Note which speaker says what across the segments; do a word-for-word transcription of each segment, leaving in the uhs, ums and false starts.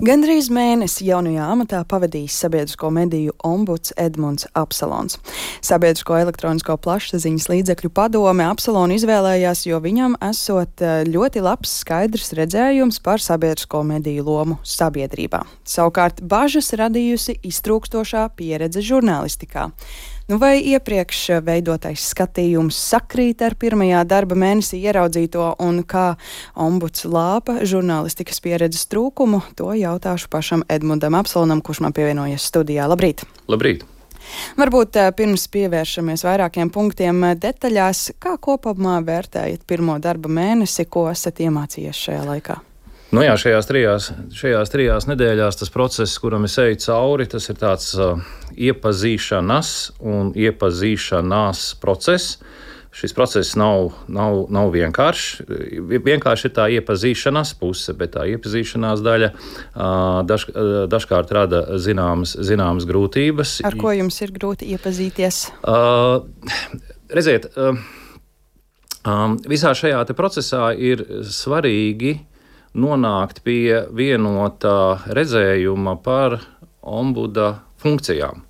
Speaker 1: Gandrīz mēnesi jaunajā amatā pavadījis sabiedrisko mediju ombuds Edmunds Apsalons. Sabiedrisko elektronisko plašsaziņas līdzekļu padome Apsalonu izvēlējās, jo viņam esot ļoti labs skaidrs redzējums par sabiedrisko mediju lomu sabiedrībā. Savukārt bažas radījusi iztrūkstošā pieredze žurnālistikā. Nu, vai iepriekš veidotais skatījums sakrīt ar pirmajā darba mēnesī ieraudzīto un kā ombuds lāpa žurnālistikas pieredzes trūkumu, to jautāšu pašam Edmundam Apsalonam, kurš man pievienojas studijā. Labrīt!
Speaker 2: Labrīt!
Speaker 1: Varbūt pirms pievēršamies vairākiem punktiem detaļās, kā kopumā vērtējat pirmo darba mēnesi, ko esat iemācījies šajā laikā?
Speaker 2: Nu jā, šajās trijās, šajās trijās nedēļās tas process, kuram es eju cauri, tas ir tāds uh, iepazīšanas un iepazīšanās process. Šis process nav, nav, nav vienkāršs. Vienkārši ir tā iepazīšanās puse, bet tā iepazīšanās daļa uh, daž, uh, dažkārt rada zināmas, zināmas grūtības.
Speaker 1: Ar ko jums ir grūti iepazīties?
Speaker 2: Uh, redziet, uh, um, visā šajā te procesā ir svarīgi nonākt pie vienotā redzējuma par ombuda funkcijām.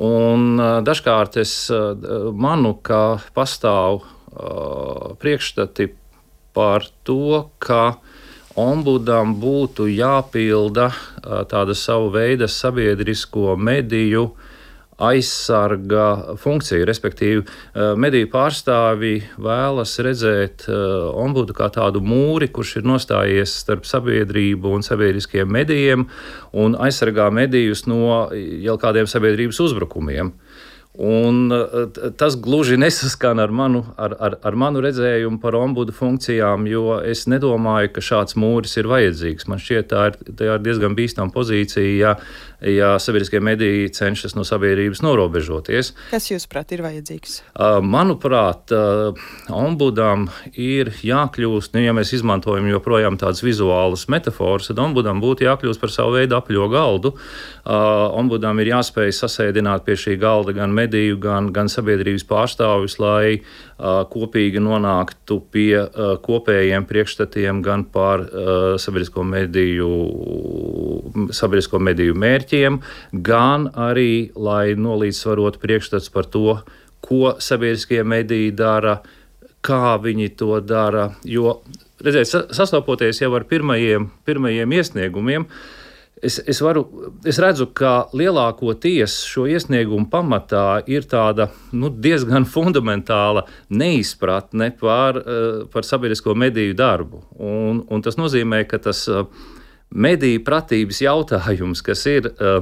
Speaker 2: Un dažkārt es manu, ka pastāv uh, priekšstati par to, ka ombudam būtu jāpilda uh, tāda savu veidu sabiedrisko mediju aizsarga funkcija, respektīvi mediju pārstāvji vēlas redzēt ombudu kā tādu mūri, kurš ir nostājies starp sabiedrību un sabiedriskiem medijiem un aizsargā medijus no jau kādiem sabiedrības uzbrukumiem. Un tas gluži nesaskan ar manu, ar, ar, ar manu redzējumu par ombudu funkcijām, jo es nedomāju, ka šāds mūris ir vajadzīgs. Man šķiet, tā ir, tā ir diezgan bīstama pozīcija, ja, ja sabiedriskie mediji cenšas no sabiedrības norobežoties.
Speaker 1: Kas jūsuprāt ir vajadzīgs?
Speaker 2: Manuprāt, ombudam ir jākļūst, nu, ja mēs izmantojam joprojām tādas vizuālas metaforas, tad ombudam būtu jākļūst par savu veidu apļo galdu. Ombudam ir jāspēj sasēdināt pie šī galda gan mediju, gan, gan sabiedrības pārstāvjus, lai uh, kopīgi nonāktu pie uh, kopējiem priekšstatiem gan par uh, sabiedrisko mediju, sabiedrisko mediju mērķiem, gan arī, lai nolīdzsvarotu priekšstats par to, ko sabiedriskie mediji dara, kā viņi to dara. Jo, redziet, sastopoties jau ar pirmajiem, pirmajiem iesniegumiem, Es, es, varu, es redzu, ka lielākoties šo iesniegumu pamatā ir tāda nu, diezgan fundamentāla neizpratne par, par sabiedrisko mediju darbu. Un, un tas nozīmē, ka tas mediju pratības jautājums, kas ir uh,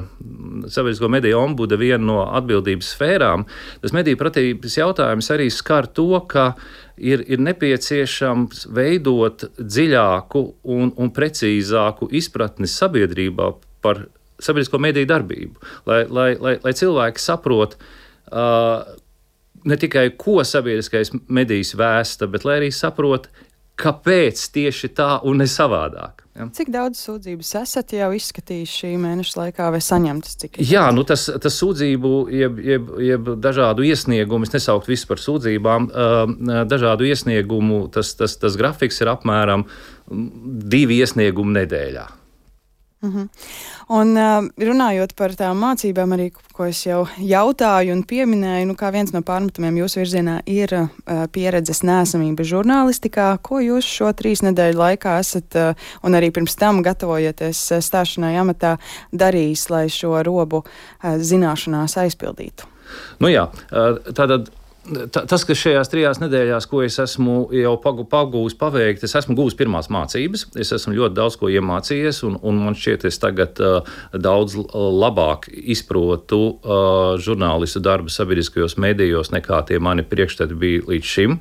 Speaker 2: sabiedrisko mediju ombuda viena no atbildības sfērām, tas mediju pratības jautājums arī skar to, ka ir, ir nepieciešams veidot dziļāku un, un precīzāku izpratni sabiedrībā par sabiedrisko mediju darbību, lai, lai, lai, lai cilvēki saprot uh, ne tikai, ko sabiedriskais medijs vēsta, bet lai arī saprot, kāpēc tieši tā un ne savādāk. Ja?
Speaker 1: Cik daudz sūdzības esat jau izskatījuši šī mēneša laikā vai saņemtas? Cik
Speaker 2: Jā, nu tas, tas sūdzību, jeb, jeb, jeb dažādu iesniegumu, es nesaukt visu par sūdzībām, dažādu iesniegumu, tas, tas, tas grafiks ir apmēram divi iesniegumi nedēļā.
Speaker 1: Uh-huh. Un runājot par tām mācībām, arī, ko es jau jautāju un pieminēju, nu, kā viens no pārmetumiem jūsu virzienā ir pieredzes neesamība žurnālistikā. Ko jūs šo trīs nedēļu laikā esat, un arī pirms tam gatavojoties stāšanai amatā, darījis, lai šo robu zināšanās aizpildītu?
Speaker 2: Nu jā, tātad tas, kas šajās trijās nedēļās, ko es esmu jau pagūvis paveikt, es esmu gūvis pirmās mācības, es esmu ļoti daudz ko iemācījies, un, un man šķiet, es tagad uh, daudz labāk izprotu uh, žurnālistu darbu sabiedriskajos medijos, nekā tie mani priekšstati bija līdz šim.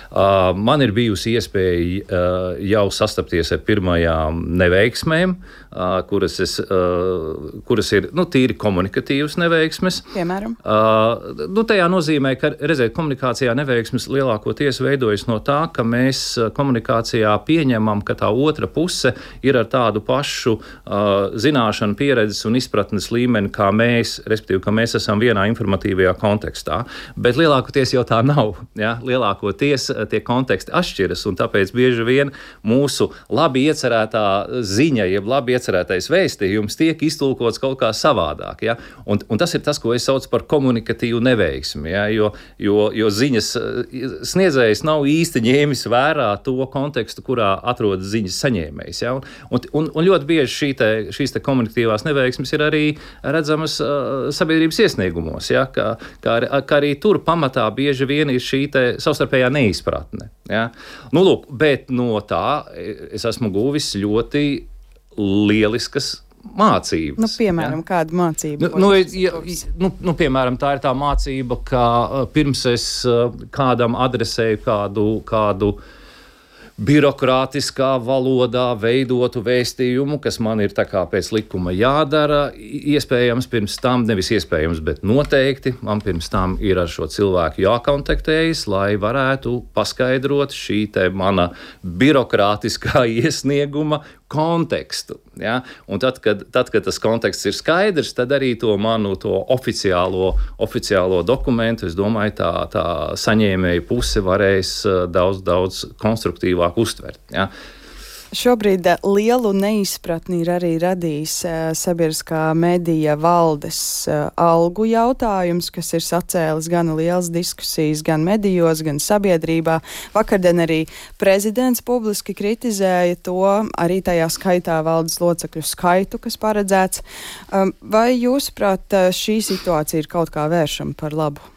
Speaker 2: Uh, man ir bijusi iespēja uh, jau sastapties ar pirmajām neveiksmēm, uh, kuras, es, uh, kuras ir nu, tīri komunikatīvas neveiksmes.
Speaker 1: Piemēram?
Speaker 2: Uh, nu, tajā nozīmē, ka, redziet, komunikācijā neveiksmes lielākoties veidojas no tā, ka mēs komunikācijā pieņemam, ka tā otra puse ir ar tādu pašu uh, zināšanu, pieredzes un izpratnes līmeni, kā mēs, respektīvi, ka mēs esam vienā informatīvajā kontekstā. Bet lielākoties jau tā nav. Ja? Lielākoties tie konteksti atšķiras, un tāpēc bieži vien mūsu labi iecerētā ziņa, jeb labi iecerētais vēstījums tiek iztulkots kaut kā savādāk. Ja? Un, un tas ir tas, ko es saucu par komunikatīvu neveiksmi, ja? jo, jo, jo ziņas sniedzējs nav īsti ņēmis vērā to kontekstu, kurā atrodas ziņas saņēmējs. Ja? Un, un, un ļoti bieži šī te, šīs te komunikatīvās neveiksmes ir arī redzamas uh, sabiedrības iesniegumos, ja? ka, ka, ka arī tur pamatā bieži vien ir šī te savstarpējā neizpratne. Ja? Nu, lūk, bet no tā es esmu guvis ļoti lieliskas mācības.
Speaker 1: Nu, piemēram, ja? Kāda mācība?
Speaker 2: Nu, nu, ja, nu, nu, piemēram, tā ir tā mācība, ka pirms es kādam adresēju kādu, kādu birokrātiskā valodā veidotu vēstījumu, kas man ir tā kā pēc likuma jādara, iespējams pirms tam, nevis iespējams, bet noteikti, man pirms tam ir ar šo cilvēku jākontaktējas, lai varētu paskaidrot šī te mana birokrātiskā iesnieguma kontekstu. Ja? Un tad kad, tad, kad tas konteksts ir skaidrs, tad arī to manu to oficiālo, oficiālo dokumentu, es domāju, tā, tā saņēmēja puse varēs daudz, daudz konstruktīvāk uztvert. Ja?
Speaker 1: Šobrīd lielu neizpratni ir arī radījis uh, sabiedriskā medija valdes uh, algu jautājums, kas ir sacēlis gan lielas diskusijas, gan medijos, gan sabiedrībā. Vakardien arī prezidents publiski kritizēja to, arī tajā skaitā valdes locekļu skaitu, kas paredzēts. Um, vai jūsuprāt, šī situācija ir kaut kā vēršama par labu?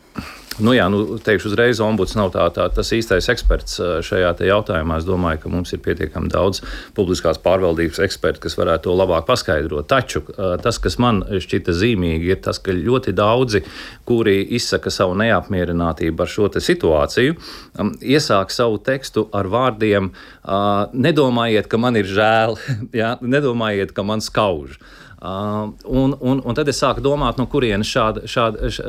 Speaker 2: Nu jā, nu, teikšu uzreiz, ombuds nav tā, tā, tas īstais eksperts šajā te jautājumā. Es domāju, ka mums ir pietiekami daudz publiskās pārvaldības eksperti, kas varētu to labāk paskaidrot. Taču tas, kas man šķita zīmīgi, ir tas, ka ļoti daudzi, kuri izsaka savu neapmierinātību ar šo te situāciju, iesāk savu tekstu ar vārdiem: nedomājiet, ka man ir žēl, ja? Nedomājiet, ka man skauž. Uh, un, un, un tad es sāku domāt, no kurienes šāda, šāda, š,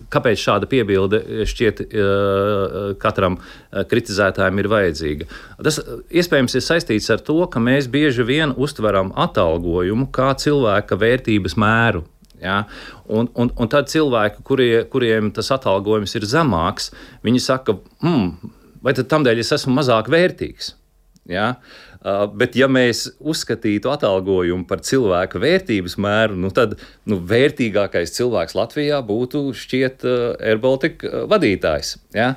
Speaker 2: kāpēc šāda piebilde šķiet uh, katram kritizētājam ir vajadzīga. Tas iespējams ir saistīts ar to, ka mēs bieži vien uztveram atalgojumu kā cilvēka vērtības mēru. Ja? Un, un, un tad cilvēki, kurie, kuriem tas atalgojums ir zemāks, viņi saka, mm, vai tad tamdēļ es esmu mazāk vērtīgs? Ja? Uh, bet ja mēs uzskatītu atalgojumu par cilvēka vērtības mēru, nu tad nu, vērtīgākais cilvēks Latvijā būtu šķiet uh, AirBaltic vadītājs. Ja?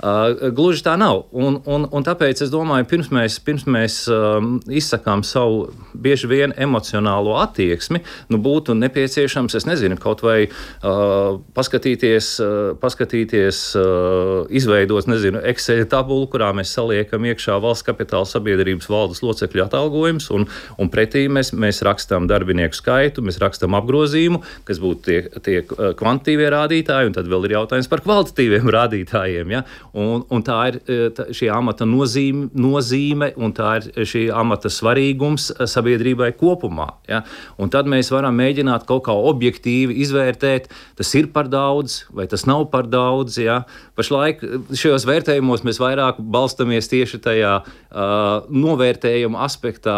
Speaker 2: Uh, gluži tā nav. Un, un, un tāpēc es domāju, pirms mēs, pirms mēs um, izsakām savu bieži vien emocionālo attieksmi, nu būtu nepieciešams, es nezinu, kaut vai uh, paskatīties, uh, paskatīties uh, izveidot, nezinu, Excel tabulu, kurā mēs saliekam iekšā valsts kapitāla sabiedrības valdes locekļu atalgojums, un, un pretī mēs, mēs rakstām darbinieku skaitu, mēs rakstām apgrozījumu, kas būtu tie, tie kvantitīvie rādītāji, un tad vēl ir jautājums par kvalitatīviem rādītājiem. Ja? Un, un tā ir tā, šī amata nozīme, nozīme, un tā ir šī amata svarīgums sabiedrībai kopumā. Ja? Un tad mēs varam mēģināt kaut kā objektīvi izvērtēt, tas ir par daudz, vai tas nav par daudz. Ja? Pašlaik šajos vērtējumos mēs vairāk balstamies tieši tajā uh, novērtējuma aspektā,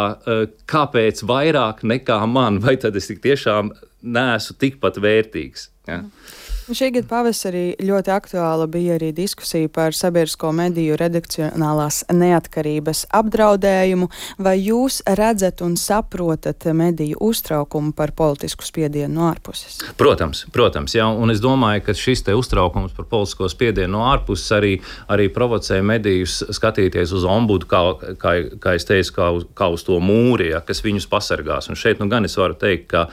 Speaker 2: kāpēc vairāk nekā man, vai tad es tik tiešām neesmu tikpat vērtīgs. Ja?
Speaker 1: Šī gada pavasarī ļoti aktuāla bija arī diskusija par sabiedrisko mediju redakcionālās neatkarības apdraudējumu. Vai jūs redzat un saprotat mediju uztraukumu par politisku spiedienu no ārpuses?
Speaker 2: Protams, protams, jā, un es domāju, ka šis te uztraukums par politisko spiedienu no ārpuses arī, arī provocē medijus skatīties uz ombudu, kā, kā, kā es teicu, kā uz, kā uz to mūri, ja, kas viņus pasargās. Un šeit nu gan es varu teikt, ka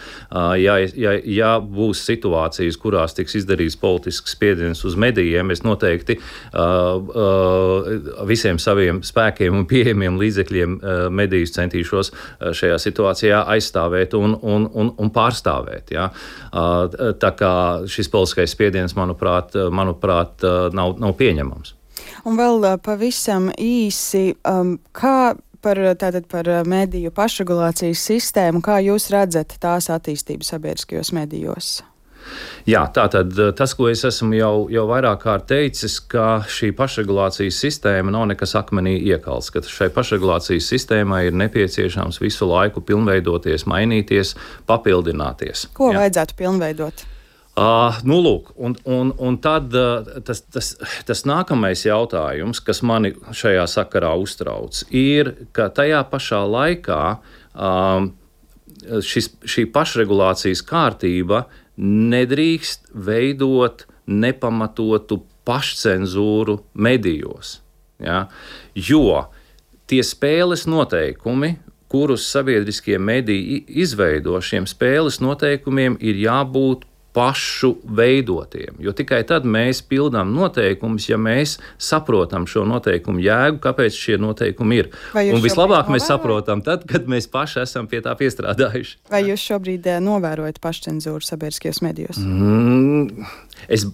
Speaker 2: ja, ja, ja būs situācijas, kurās tiks izdarīts politisks spiediens uz medijiem, es noteikti uh, uh, visiem saviem spēkiem un pieejamiem līdzekļiem uh, medijus centīšos uh, šajā situācijā aizstāvēt un, un, un, un pārstāvēt. Ja? Uh, tā kā šis politiskais spiediens, manuprāt, manuprāt uh, nav, nav pieņemams.
Speaker 1: Un vēl uh, pavisam īsi, um, kā par, tātad par mediju pašregulācijas sistēmu, kā jūs redzat tās attīstību sabiedriskajos medijos?
Speaker 2: Jā, tātad tas, ko es esmu jau, jau vairāk kārt teicis, ka šī pašregulācijas sistēma nav nekas akmenī iekalts, ka šai pašregulācijas sistēmai ir nepieciešams visu laiku pilnveidoties, mainīties, papildināties.
Speaker 1: Ko
Speaker 2: Jā.
Speaker 1: vajadzētu pilnveidot?
Speaker 2: Uh, nu, lūk, un, un, un tad uh, tas, tas, tas nākamais jautājums, kas mani šajā sakarā uztrauc, ir, ka tajā pašā laikā um, šis, šī pašregulācijas kārtība nedrīkst veidot nepamatotu pašcenzūru medijos. Ja? Jo tie spēles noteikumi, kurus sabiedriskie mediji izveido, šiem spēles noteikumiem ir jābūt pašu veidotiem. Jo tikai tad mēs pildām noteikumus, ja mēs saprotam šo noteikumu jēgu, kāpēc šie noteikumi ir. Un vislabāk mēs saprotam tad, kad mēs paši esam pie tā piestrādājuši.
Speaker 1: Vai jūs šobrīd novērojat pašcenzūru sabiedriskajos medijos?
Speaker 2: Mm, es...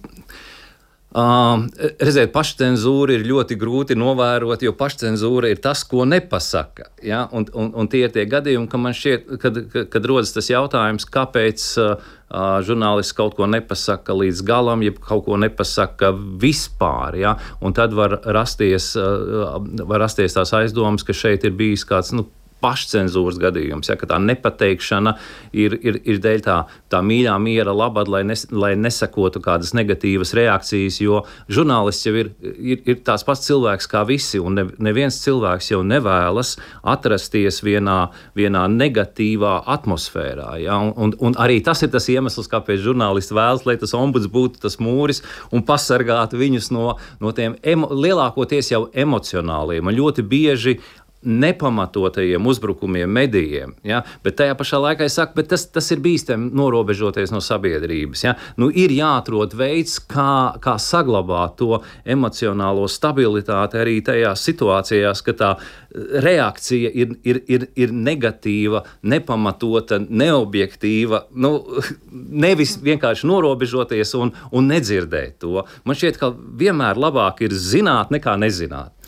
Speaker 2: Uh, redziet, pašcenzūru ir ļoti grūti novērot, jo pašcenzūra ir tas, ko nepasaka. Ja? Un, un, un tie ir tie gadījumi, ka man šķiet, kad, kad, kad rodas tas jautājums, kāpēc uh, uh, žurnālists kaut ko nepasaka līdz galam, ja kaut ko nepasaka vispār. Ja? Un tad var rasties, uh, var rasties tās aizdomas, ka šeit ir bijis kāds, nu, pašcenzūras gadījums, ja, ka tā nepateikšana ir, ir, ir dēļ tā, tā mīļā miera labad, lai, nes, lai nesakotu kādas negatīvas reakcijas, jo žurnālists jau ir, ir, ir tās pats cilvēks kā visi, un ne, neviens cilvēks jau nevēlas atrasties vienā, vienā negatīvā atmosfērā. Ja, un, un, un arī tas ir tas iemesls, kāpēc žurnālisti vēlas, lai tas ombuds būtu tas mūris un pasargātu viņus no, no tiem emo, lielākoties jau emocionāliem un ļoti bieži nepamatotajiem uzbrukumiem medijiem, ja? Bet tajā pašā laikā es saku, bet tas, tas ir bīstami norobežoties no sabiedrības. Ja? Nu, ir jāatrod veids, kā, kā saglabāt to emocionālo stabilitāti arī tajās situācijās, ka tā reakcija ir, ir, ir, ir negatīva, nepamatota, neobjektīva, nu, nevis vienkārši norobežoties un, un nedzirdēt to. Man šķiet, ka vienmēr labāk ir zināt nekā nezināt.